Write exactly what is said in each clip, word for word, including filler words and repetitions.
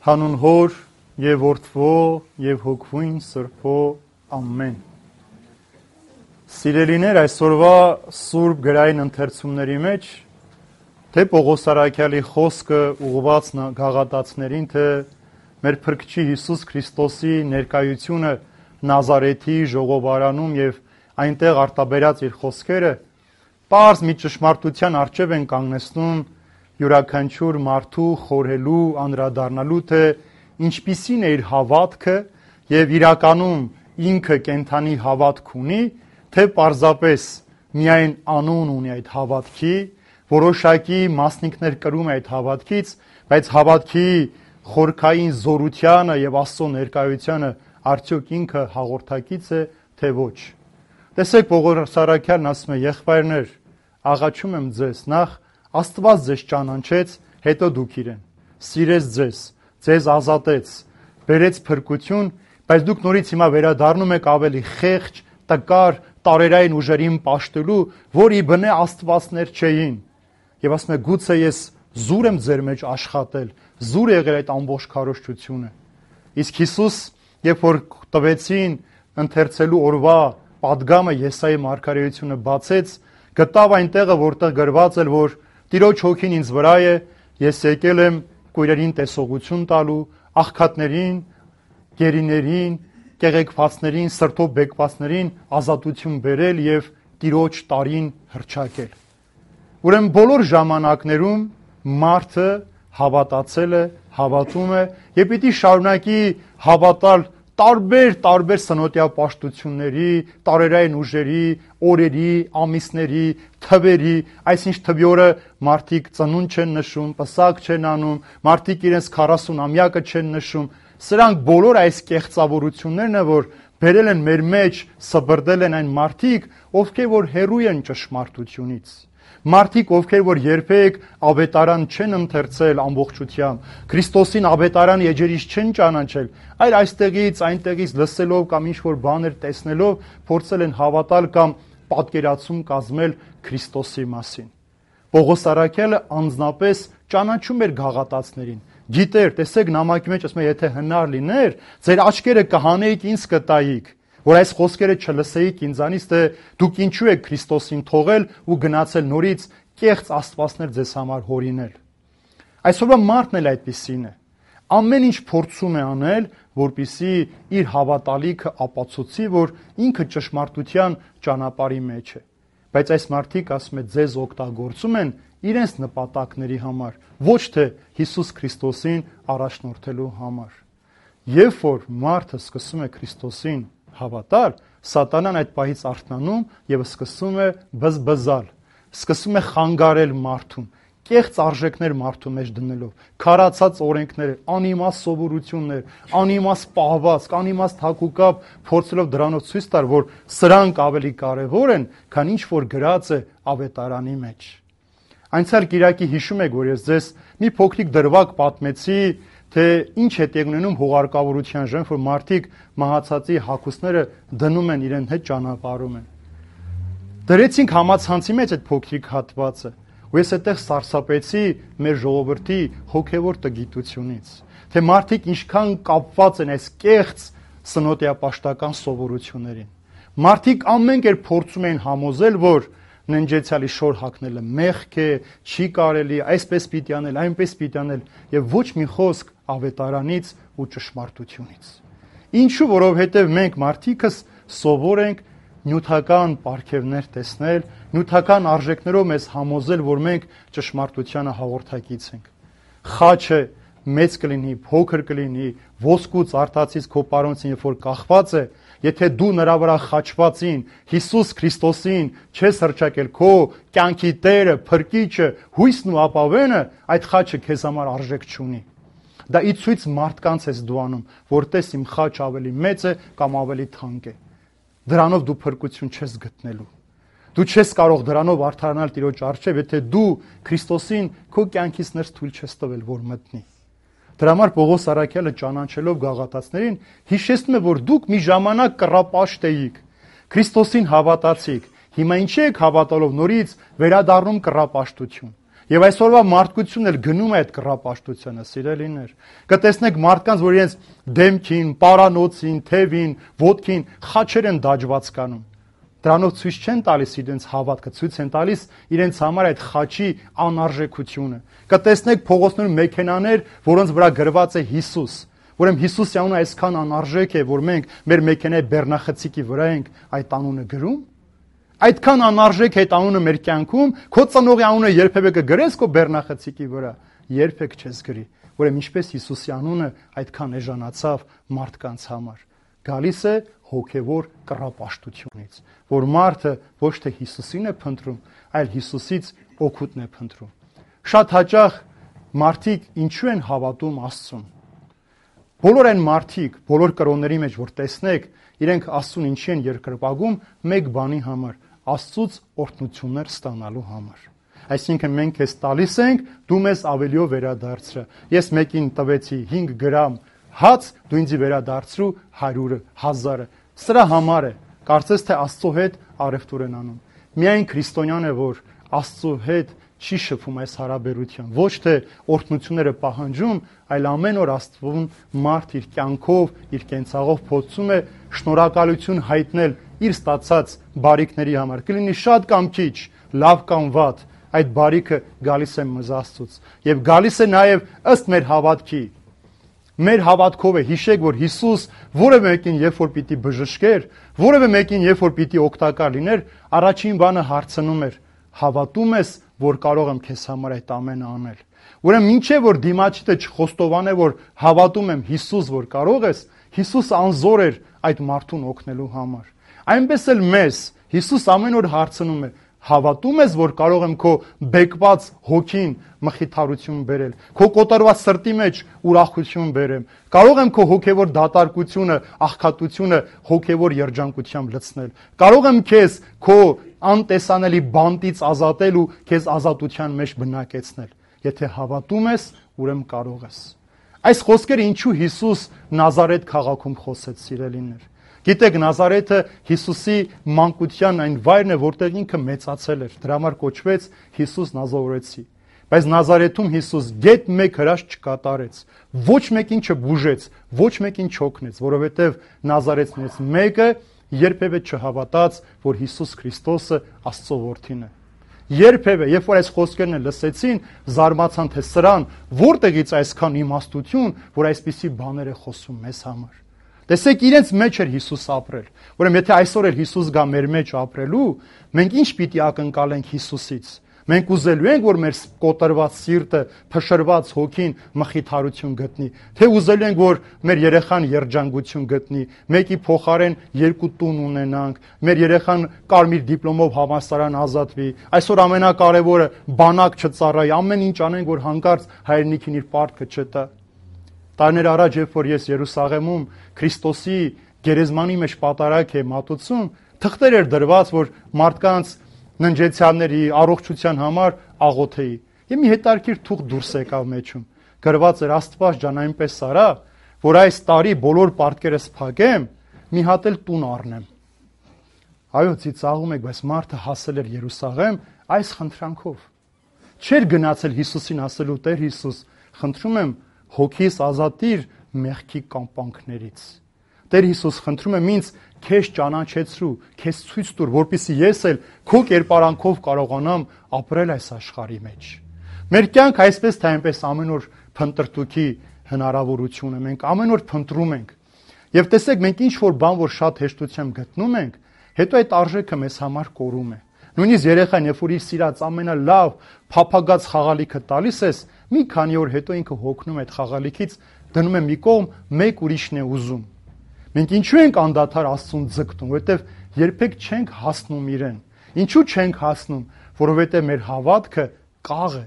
Հանուն Հոր եւ Որդվո եւ Հոգվույն Սրբո ամեն։ Սիրելիներ, այսօրվա Սուրբ գրային ընթերցումների մեջ թե Պողոս Արաքյալի խոսքը ուղղված գաղատացիներին, թե մեր Փրկչի Հիսուս Քրիստոսի ներկայությունը Նազարեթի ժողովարանում եւ այնտեղ արտաբերած իր խոսքերը պարզ մի ճշմարտության առջև են կանգնեցնում յուրաքանչյուր մարդու խորհելու, անդրադառնալու, թե ինչպիսին է իր հավատքը եւ իրականում ինքը կենթանի հավատք ունի, թե պարզապես միայն անուն ունի այդ հավատքի, որոշակի մասնիկներ կրում է այդ հավատքից, բայց հավատքի խորքային զորությանը եւ Աստծո ներկայությանը արդյոք ինքը հաղորդակից է, թե ոչ։ Տեսեք, Պողոս Արաքյալն ասում է. եղբայրներ, աղաչում եմ ձեզ, նախ Աստված ձեզ ճանաչեց, հետո դուք իրեն, սիրեց ձեզ, ձեզ ազատեց, բերեց փրկություն, բայց դուք նորից հիմա վերադառնում եք ավելի խեղճ, տկար, տարերային ուժերին պաշտելու, որի բնե աստվածներ չէին։ Եվ ասում է, գուցե ես զուր եմ ձեր մեջ աշխատել, զուր եղել այդ ամբողջ քարոզչությունը։ Իսկ Հիսուս, երբ որ տվեցին ընթերցելու օրվա պատգամը Եսայի մարգարեությունը բացեց, գտավ այնտեղը, որտեղ գրված էր, որ Տիրոջ հոգին ինձ վրա է, ես եկել եմ կույրերին տեսողություն տալու, աղքատներին, գերիներին, կեղեքվածներին, սրտով բեկվածներին ազատություն բերել եւ Տիրոջ տարին հռչակել։ Ուրեմն բոլոր ժամանակներում մարդը հավատացել է, հավատում է եւ պիտի շարունակի հավատալ տարբեր տարբեր սնոտիա պաշտությունների, տարերային ուժերի, օրերի, ամիսների, թվերի, այսինչ թվի օրը մարդիկ ծնունդ չեն նշում, պսակ չեն անում, մարդիկ իրենց քառասուն ամյակը չեն նշում։ Սրանք բոլոր այս կեղծավորություններն են, որ բերել են մեր մեջ, սբրդել են այն մարդիկ, ովքեր որ հեռու են ճշմարտությունից։ Մարդիկ, ովքեր որ երբեք ավետարան չեն ընթերցել ամբողջությամբ, Քրիստոսին ավետարան էջերից չեն ճանաչել, այլ այստեղից, այնտեղից լսելով կամ ինչ-որ բաներ տեսնելով փորձել են հավատալ կամ պատկերացում կազմել Քրիստոսի մասին։ Պողոս Արաքյալը անձնապես ճանաչում էր գաղատացիներին։ Գիտեր, տեսեք, նամակի մեջ ասում է, եթե հնար լիներ, ձեր աչքերը կհանեիք, ինձ կտայիք, որ այս խոսքերը չլսեիք ինձանից, թե դուք ինչու եք Քրիստոսին թողել ու գնացել նորից կեղծ աստվածներ ձեզ համար հորինել։ Այսօրվա մարդն էլ այդպիսին է։ Ամեն ինչ փորձում է անել, որպեսզի իր հավատալիքը ապացուցի, որ ինքը ճշմարտության ճանապարհի մեջ է։ Բայց այս մարդիկ, ասում է, ձեզ օգտագործում են իրենց նպատակների համար, ոչ թե Հիսուս Քրիստոսին առաջնորդելու համար։ Երբ որ մարդը սկսում է Քրիստոսին հավատալ, սատանան այդ պահից արթնանում եւ սկսում է բզբզալ, սկսում է խանգարել մարդուն, կեղծ արժեքներ մարդու մեջ դնելով, քարացած օրենքներ, անիմաստ սովորություններ, անիմաստ պահվածք, անիմաստ հակուկապ, փորձելով դրանով ցույց տալ, որ սրանք ավելի կարևոր են, քան ինչ որ գրած է ավետարանի մեջ։ Անցյալ կիրակի հիշում եք, որ ես ձեզ մի փոքրիկ դրվագ պատմեցի, թե ինչ է տեղի ունենում հուղարկավորության ժամանակ, որ մարդիկ մահացածի հագուստները դնում են իրեն հետ ճանապարհում են։ Դրեցինք համացանցի մեջ այդ փոքրիկ հատվածը, ու ես այդտեղ սարսափեցի մեր ժողովրդի հոգևոր տգիտությունից, թե մարդիկ ինչքան կապված են այս կեղծ սնոտիապաշտական սովորություններին։ Մարդիկ ամեն կերպ փորձում են համոզել, որ ննջեցյալի շոր հագնելը մեղք է, չի կարելի, այսպես պիտի անել, այնպես պիտի անել եւ ոչ մի խոսք ավետարանից ու ճշմարտությունից։ Ինչու, որովհետեւ մենք մարդիկս սովոր ենք նյութական պարգևներ տեսնել, նյութական արժեքներով մեզ համոզել, որ մենք ճշմարտությանը հաղորդակից ենք։ Խաչը մեծ կլինի, փոքր կլինի, ոսկուց արտացից քո պարոնցին, երբ որ կախված է, եթե դու նրա վրա խաչվածին, Հիսուս Քրիստոսին չես հռչակել, քո կյանքի Տերը, Փրկիչը, հույսն ու ապավենը, այդ խաչը քեզ համար արժեք չունի։ Դա ի ցույց մարդկանց ես դու անում, որ տես իմ խաչ ավելի մեծ է կամ ավելի թանկ է։ Դրանով դու փրկություն չես գտնելու։ Դու չես կարող դրանով արդարանալ Տիրոջ առջև, եթե դու Քրիստոսին քո կյանքից ներս թույլ չես տվել, որ մտնի։ Դրա համար Պողոս Արաքյալը ճանաչելով գաղատացիներին հիշեցնում է, որ դուք մի ժամանակ կռապաշտ էիք, Քրիստոսին հավատացիք, հիմա ինչի եք հավատալով նորից վերադառնում կռապաշտություն։ Եվ այսօրվա մարդկությունն էլ գնում է այդ կռապաշտությունը, սիրելիներ։ Կտեսնեք մարդկանց, որ իրենց դեմքին, պարանոցին, թևին, ոտքին խաչեր են դաջված կանում։ Դրանով ցույց չեն տալիս իրենց հավատքը, ցույց են տալիս իրենց համար այդ խաչի անարժեքությունը։ Կտեսնեք փողոցներում մեքենաներ, որոնց վրա գրված է Հիսուս, ուրեմն Հիսուսի անունը այսքան անարժեք է, որ մենք մեր մեքենայի բեռնախցիկի վրա ենք այդ անունը գրում։ Այդքան անարժեք է այդ անունը մեր կյանքում, քո ծնողի անունը երբևէ կգրես քո բեռնախցիկի վրա, երբեք չես գրի։ Ուրեմն ինչպես Հիսուսի անունը այդքան էժանացավ մարդկանց համար։ Գալիս է հոգևոր կռապաշտությունից, որ մարդը ոչ թե Հիսուսին է փնտրում, այլ Հիսուսից օգուտն է փնտրում։ Շատ հաճախ մարդիկ ինչու են հավատում Աստծուն։ Բոլոր այն մարդիկ, բոլոր կրոնների մեջ, որ տեսնեք, իրենք Աստծուն ինչի են երկրպագում, մեկ բանի համար, Աստծուց օրհնություններ ստանալու համար։ Այսինքն մենք քեզ տալիս ենք, դու մեզ ավելիով վերադարձրը։ Ես մեկին տվեցի հինգ գրամ հաց, դու ինձ վերադարձրու հարյուրը, հազարը։ Սրա համար է, կարծես թե Աստծո հետ առևտուր են անում։ Միայն քրիստոնյան է, որ Աստծո հետ չի շփում այս հարաբերության, ոչ թե օրհնությունները պահանջում, այլ ամեն օր Աստծուն մարդ իր կյանքով, իր կենցաղով փորձում է շնորհակալություն հայտնել իր ստացած բարիքների համար։ Կլինի շատ կամ քիչ, լավ կամ վատ, այդ բարիքը գալիս է մեզ Աստծուց եւ գալիս է նաեւ ըստ մեր հավատքի։ Մեր հավատքով է, հիշեք, որ Հիսուս որևէ մեկին երբ որ պիտի բժշկեր, որևէ մեկին երբ որ պիտի օգտակար լիներ, առաջին բանը հարցնում էր. հավատում ես, որ կարող եմ քեզ համար այդ ամենը անել։ Ուրեմն մինչև որ դիմացիդը չխոստովանե, որ հավատում եմ Հիսուս, որ կարող ես, Հիսուս անզոր էր այդ մարդուն օգնելու համար։ Այնպես էլ մեզ Հիսուս ամեն օր հարցնում է. հավատում ես, որ կարող եմ քո բեկված հոգին մխիթարություն բերել, քո կոտորված սրտի մեջ ուրախություն բերեմ, կարող եմ քո հոգևոր դատարկությունը, աղքատությունը հոգևոր երջանկությամբ լցնել, կարող եմ քեզ քո անտեսանելի բանտից ազատել ու քեզ ազատության մեջ բնակեցնել։ Եթե հավատում ես, ուրեմն կարող ես։ Այս խոսքերը ինչու Հիսուս Նազարեթ քաղաքում խոսեց, սիրելիներ։ Գիտեք, Նազարեթը Հիսուսի մանկության այն վայրն է, որտեղ ինքը մեծացել էր, դրա համար կոչվեց Հիսուս Նազարեցի։ Բայց Նազարեթում Հիսուս գեթ մեկ հրաշք չկատարեց, ոչ մեկին չբուժեց, ոչ մեկին չօգնեց, որովհետև Նազարեթներից մեկը երբևէ չհավատաց, որ Հիսուս Քրիստոսը Աստծո որդին է։ Երբևէ, երբ որ այս խոսքերն լսեցին, զարմացան, թե սրան որտեղից այսքան իմաստություն, որ այսպիսի բաներ է խոսում մեզ համար։ Տեսեք, իրենց մեջ էր Հիսուս ապրել։ Ուրեմն եթե այսօր էլ Հիսուս գա մեր մեջ ապրելու, մենք ինչ պիտի ակնկալենք Հիսուսից։ Մենք ուզելու ենք, որ մեր կոտրված սիրտը, փշրված հոգին մխիթարություն գտնի, թե ուզելու ենք, որ մեր երեխան երջանկություն գտնի, մեկի փոխարեն երկու տուն ունենանք, մեր երեխան կարմիր դիպլոմով համալսարան ազատվի, այսօր ամենակարևորը բանակ չծառայի, ամեն ինչ անենք, որ հանկարծ հայրենիքին իր պարտքը չտա։ Տարիներ առաջ, երբ որ ես Երուսաղեմում Քրիստոսի գերեզմանի մեջ պատարագ է մատուցում, թղթեր էր դրված, որ մարդկանց ննջեցյանների առողջության համար աղոթեի։ Եվ մի հետարքիր թուղթ դուրս եկավ մեջում։ Գրված էր Աստված ջան, այնպես արա, որ այս տարի բոլոր պարտքերս փակեմ, մի հատ էլ տուն առնեմ։ Այո, ծիծաղում եք, բայց մարդը հասել էր Երուսաղեմ այս խնդրանքով։ Չէր գնացել Հիսուսին ասելու Տեր Հիսուս, խնդրում եմ հոգիս ազատիր մեղքի կամպանքներից։ Տեր Հիսուս, խնդրում եմ ինձ քեզ ճանաչեցրու, քեզ ցույց տուր, որպեսզի ես էլ քո կերպարանքով կարողանամ ապրել այս աշխարհի մեջ։ Մեր կյանքը այսպես թե այնպես ամեն օր փնտրտուքի հնարավորություն է, մենք ամեն օր փնտրում ենք։ Եվ տեսեք, մենք ինչ որ բան, որ շատ հեշտությամբ գտնում ենք, հետո այդ արժեքը մեզ համար կորում է։ Նույնիսկ երեխան, երբ որ իր սիրած ամենալավ փափագած խաղալիքը տալիս ես, մի քանի օր հետո ինքը հոգնում է այդ խաղալիքից, դնում է մի կողմ, մեկ ուրիշն է ուզում։ Մենք ինչու ենք անդադար Աստծուն ձգտում, որովհետև երբեք չենք հասնում իրեն։ Ինչու չենք հասնում, որովհետև մեր հավատքը կաղ է,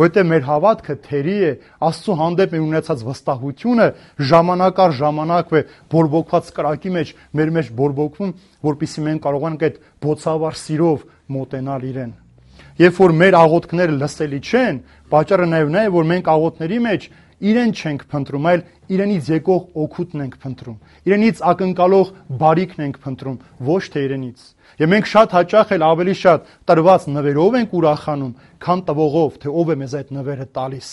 որովհետև մեր հավատքը թերի է, Աստծո հանդեպ մեր ունեցած վստահությունը ժամանակ առ ժամանակ է բորբոքված կրակի մեջ մեր մեջ բորբոքվում, որպեսզի մենք կարողանանք այդ բոցավառ սիրով մոտենալ իրեն։ Երբ որ մեր աղոթքները լսելի չեն, պատճառը նաև նա է, որ մենք աղոթների մեջ իրեն չենք փնտրում, այլ իրենից եկող օգուտն ենք փնտրում։ Իրենից ակնկալող բարիքն ենք փնտրում, ոչ թե իրենից։ Եվ մենք շատ հաճախ էլ ավելի շատ տրված նվերով ենք ուրախանում, քան տվողով, թե ով է մեզ այդ նվերը տալիս։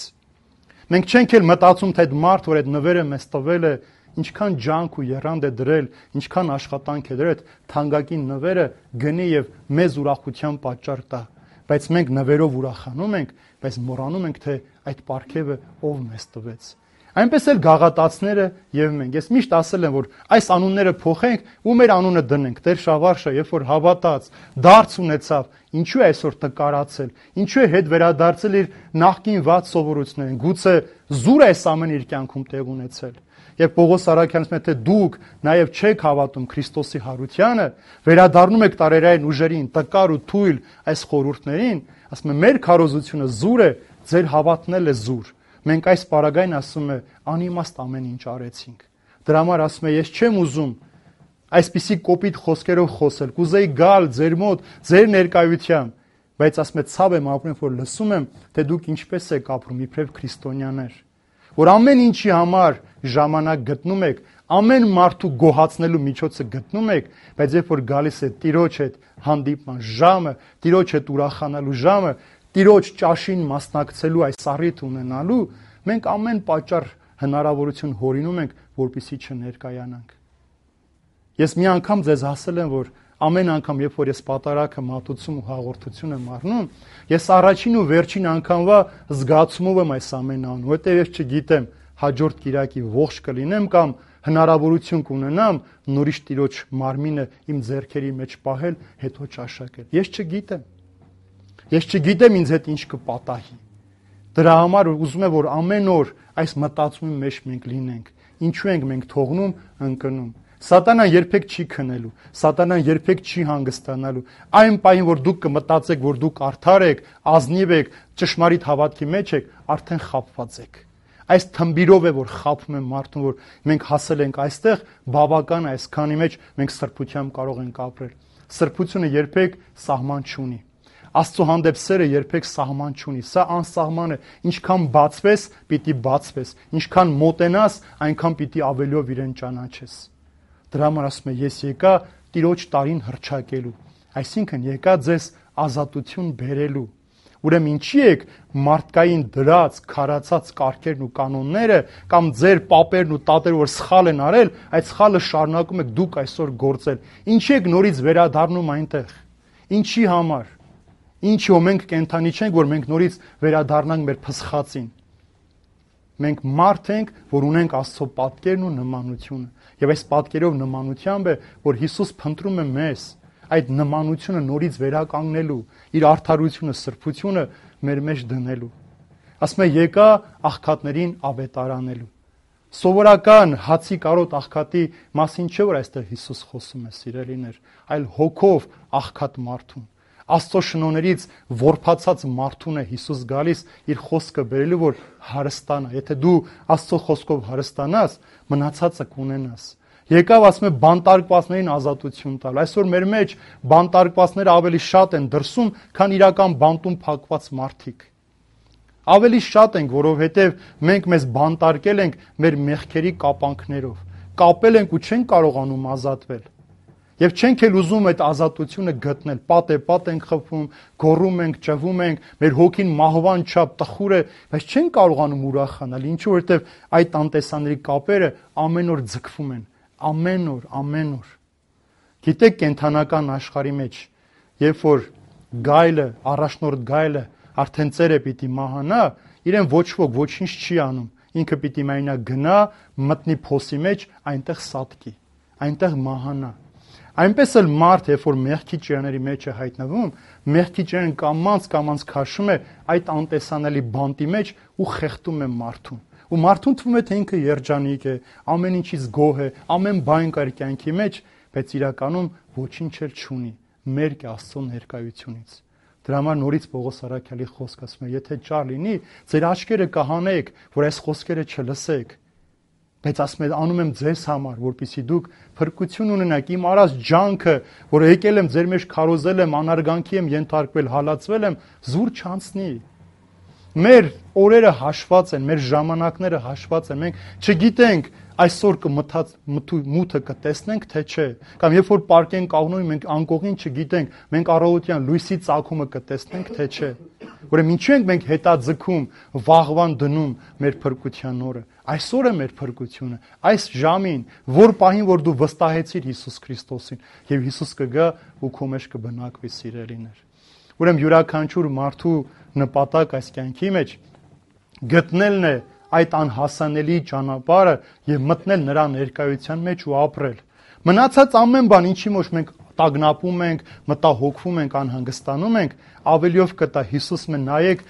Մենք չենք էլ մտածում, թե այդ մարդ, որ այդ նվերը մեզ տվել է, ինչքան ջանք ու եռանդ է դրել, ինչքան աշխատանք է դրել, այդ թանկագին նվերը գնի եւ մեզ ուրախության պատճառ տա։ Բայց մենք նվերով ուրախանում ենք, բայց մոռանում ենք, թե այդ պարգևը ով մեզ տվեց։ Այնպես էլ գաղատացները եւ մենք։ Ես միշտ ասել եմ, որ այս անունները փոխենք ու մեր անունը դնենք։ Տեր Շավարշը, երբ որ հավատաց, դարձ ունեցավ, ինչու է այսօր տկարացել, ինչու է հետ վերադարձել իր նախկին վատ սովորություններին։ Գուցե զուր է այս ամեն իր կյանքում տեղ ունեցել։ Եվ Պողոս Արաքյանն ասում է, թե դուք նաև չեք հավատում Քրիստոսի հարությանը, վերադառնում եք տարերային ուժերին, տկար ու թույլ այս խորհուրդներին, ասում է, մեր քարոզությունը զուր է, ձեր հավատն էլ է զուր։ Մենք այս պարագային, ասում է, անիմաստ ամեն ինչ արեցինք։ Դրա համար ասում է, ես չեմ ուզում այսպիսի կոպիտ խոսքերով խոսել, կուզեի գալ ձեր մոտ, ձեր ներկայությամբ, բայց ասում է, ցավ եմ ապրում, որ լսում եմ, թե դուք ինչպես եք ապրում իբրև քրիստոնյաներ, որ ամեն ինչի համար ժամանակ գտնում եք, ամեն մարդու գոհացնելու միջոցը գտնում եք, բայց երբ որ գալիս է Տիրոջ հետ հանդիպման ժամը, Տիրոջ հետ ուրախանալու ժամը, Տիրոջ ճաշին մասնակցելու այս առիթ ունենալու, մենք ամեն պատճառ հնարավորություն հորինում ենք, որպեսզի չներկայանանք։ Ես մի անգամ ձեզ ասել եմ, որ ամեն անգամ, երբ որ ես պատարագը մատուցում ու հաղորդություն եմ առնում, ես առաջին ու վերջին անգամվա զգացումով եմ այս ամեն անում, որտեղ ես չգիտեմ հաջորդ կիրակի ողջ կլինեմ կամ հնարավորություն կունենամ նորից Տիրոջ մարմինը իմ ձեռքերի մեջ պահել, հետո ճաշակել։ Ես չգիտեմ։ Ես չգիտեմ ինձ հետ ինչ կպատահի։ Դրա համար ուզում եմ, որ ամեն օր այս մտածումի մեջ մենք լինենք։ Ինչու ենք մենք թողնում ընկնում։ Սատանան երբեք չի քնելու, Սատանան երբեք չի հանգստանալու։ Այն պահին, որ դուք կմտածեք, որ դուք արդար եք, ազնիվ եք, ճշմարիտ հավատքի մեջ եք, արդեն խաբված եք։ Այս թմբիրով է, որ խաբում է մարդուն, որ մենք հասել ենք այստեղ, բավական է այսքանի մեջ մենք սրբությամբ կարող ենք ապրել։ Սրբությունը երբեք սահման չունի։ Աստծո հանդեպ սերը երբեք սահման չունի։ Սա անսահման է։ Ինչքան բացվես, պիտի բացվես։ Ինչքան մոտենաս, այնքան պիտի ավելիով իրեն ճանաչես։ Դրա համար ասում է, ես եկա Տիրոջ տարին հռչակելու, այսինքն եկա ձեզ ազատություն բերելու։ Ուրեմն ինչի եք մարդկային դրած, քարացած կարգերն ու կանոնները կամ ձեր պապերն ու տատերը, որ սխալ են արել, այդ սխալը շարունակում եք դուք այսօր գործել։ Ինչի եք նորից վերադառնում այնտեղ։ Ինչի համար։ Ինչի՞ մենք կենթանի չենք, որ մենք նորից վերադառնանք մեր փսխածին։ Մենք մարդ ենք, որ ունենք Աստծո պատկերն ու նմանությունը։ Եվ այս պատկերով նմանությամբ է, որ Հիսուս փնտրում է մեզ այդ նմանությունը նորից վերականգնելու, իր արդարությունը, սրբությունը մեր մեջ դնելու։ Ասում է, եկա աղքատներին ավետարանելու։ Սովորական հացի կարոտ աղքատի մասին չէ, որ այստեղ Հիսուս խոսում է, սիրելիներ, այլ հոգով աղքատ մարդուն։ Աստծո շնորհներից որփացած մարդուն է Հիսուս գալիս իր խոսքը բերելու, որ հարստանա։ Եթե դու Աստծո խոսքով հարստանաս, մնացածը կունենաս։ Եկավ, ասում է, բանտարկվածներին ազատություն տալ։ Այսօր մեր մեջ բանտարկվածները ավելի շատ են դրսում, քան իրական բանտում փակված մարդիկ։ Ավելի շատ ենք, որովհետև մենք մեզ բանտարկել ենք մեր մեղքերի կապանքներով։ Կապել ենք ու չենք կարողանում ազատվել։ Եվ չենք էլ ուզում այդ ազատությունը գտնել, պատ է, պատ ենք խփում, գոռում ենք, ճվում ենք, մեր հոգին մահվան չափ տխուր է, բայց չենք կարողանում ուրախանալ, ինչու որովհետև այդ անտեսանելի կապերը ամեն օր ձգվում են, ամեն օր, ամեն օր։ Գիտեք, կենթանական աշխարհի մեջ, երբ որ գայլը, առաջնորդ գայլը արդեն ծերը պիտի մահանա, իրեն ոչ ոք ոչինչ չի անում, ինքը պիտի միայնակ գնա, մտնի փոսի մեջ, այնտեղ սատկի, այնտեղ մահանա։ Այնպես էլ մարդ, երբ որ մեղքի ճիրաների մեջ է հայտնվում, մեղքի ճիրանն կամած կամած քաշում է այդ անտեսանելի բանտի մեջ ու խեղդում է մարդուն։ Ու մարդուն թվում է, թե ինքը երջանիկ է, ամեն ինչից գոհ է, ամեն բան կար կյանքի մեջ, բայց իրականում ոչինչ էլ չունի, մերկ է Աստծո ներկայությունից։ Դրա համար նորից Պողոս Արաքյալի խոսքը ասում է, եթե ճար լինի, ձեր աչքերը կհանեք, որ այս խոսքերը չլսեք։ Բայց ասում եմ, անում եմ ձեզ համար, որպեսզի դուք փրկություն ունենաք, իմ արած ջանքը, որ եկել եմ ձեր մեջ քարոզել եմ, անարգանքի եմ ենթարկվել, հալածվել եմ, զուր չանցնի։ Մեր օրերը հաշված են, մեր ժամանակները հաշված են։ Մենք չգիտենք այսօր կմթած մութը կտեսնենք, թե չէ։ Կամ երբ որ պարկենք աղնոյին, մենք անկողին չգիտենք, մենք առավոտյան լույսի ծագումը կտեսնենք, թե չէ։ Ուրեմն ինչու ենք մենք հետաձգում, վաղվան դնում մեր փրկության օրը։ Այսօր է մեր փրկությունը, այս ժամին, որ պահին, որ դու վստահեցիր Հիսուս Քրիստոսին, եւ Հիսուս կգա ու քո մեջ կբնակվի, սիրելիներ։ Ուրեմն յուրաքանչյուր մարդու նպատակ այս կյանքի մեջ գտնելն է այդ անհասանելի ճանապարհը եւ մտնել նրա ներկայության մեջ ու ապրել։ Մնացած ամեն բան, ինչի մեջ մենք տագնապում ենք, մտահոգվում ենք, անհանգստանում ենք, ավելիով կտա Հիսուս մեն նայեք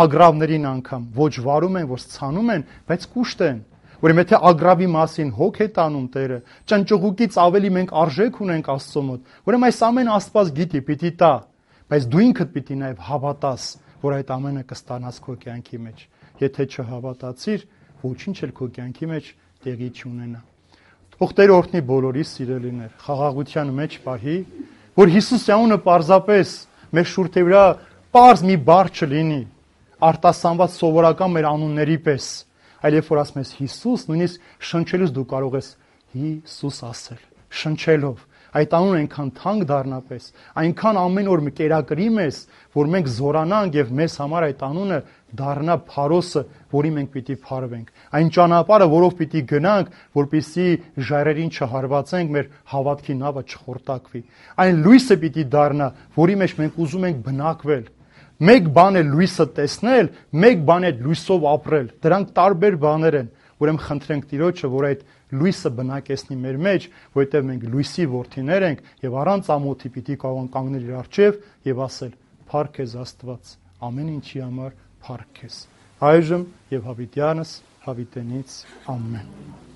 ագրավներին անգամ ոչ վարում են, ոչ ցանում են, բայց կուշտ են։ Ուրեմն եթե ագրավի մասին հոգ է տանում Տերը, ճնճղուկից ավելի մենք արժեք ունենք Աստծո մոտ։ Ուրեմն այս ամեն Աստված գիտի, պիտի տա, բայց դու ինքդ պիտի նաև հավատաս, որ այդ ամենը կստանաս քո կյանքի մեջ։ Եթե չհավատացիր, ոչինչ էլ քո կյանքի մեջ տեղի չունենա։ Թող Տերը օրհնի բոլորիս, սիրելիներ, խաղաղության մեջ պահի, որ Հիսուսի անունը պարզապես մեր շուրթի վրա պարզ մի բառ չլինի, արտասանված սովորական մեր անունների պես, այլ երբ որ ասում ես Հիսուս, նույնիսկ շնչելուց դու կարող ես Հիսուս ասել, շնչելով։ Այդ անունը այնքան թանկ դառնապես, այնքան ամեն օր կերակրի մեզ, որ մենք զորանանք եւ մեզ համար այդ անունը դառնա փարոսը, որի մենք պիտի փարվենք։ Այն ճանապարհը, որով պիտի գնանք, որպեսզի ժայռերին չհարվածենք, մեր հավատքի նավը չխորտակվի։ Այն լույսը պիտի դառնա, որի մեջ մենք ուզում ենք բնակվել։ Մեկ բան է լույսը տեսնել, մեկ բան է լույսով ապրել։ Դրանք տարբեր բաներ են։ Ուրեմն խնդրենք Տիրոջը, որ այդ լույսը բնակեցնի մեր մեջ, որովհետև մենք լույսի որդիներ ենք եւ առանց ամոթի պիտի կարող կանգնել իր առջև եւ ասել. «Փառք քեզ Աստված, ամեն ինչի համար փառք քեզ»։ Այժմ եւ հավիտյանս հավիտենից ամեն։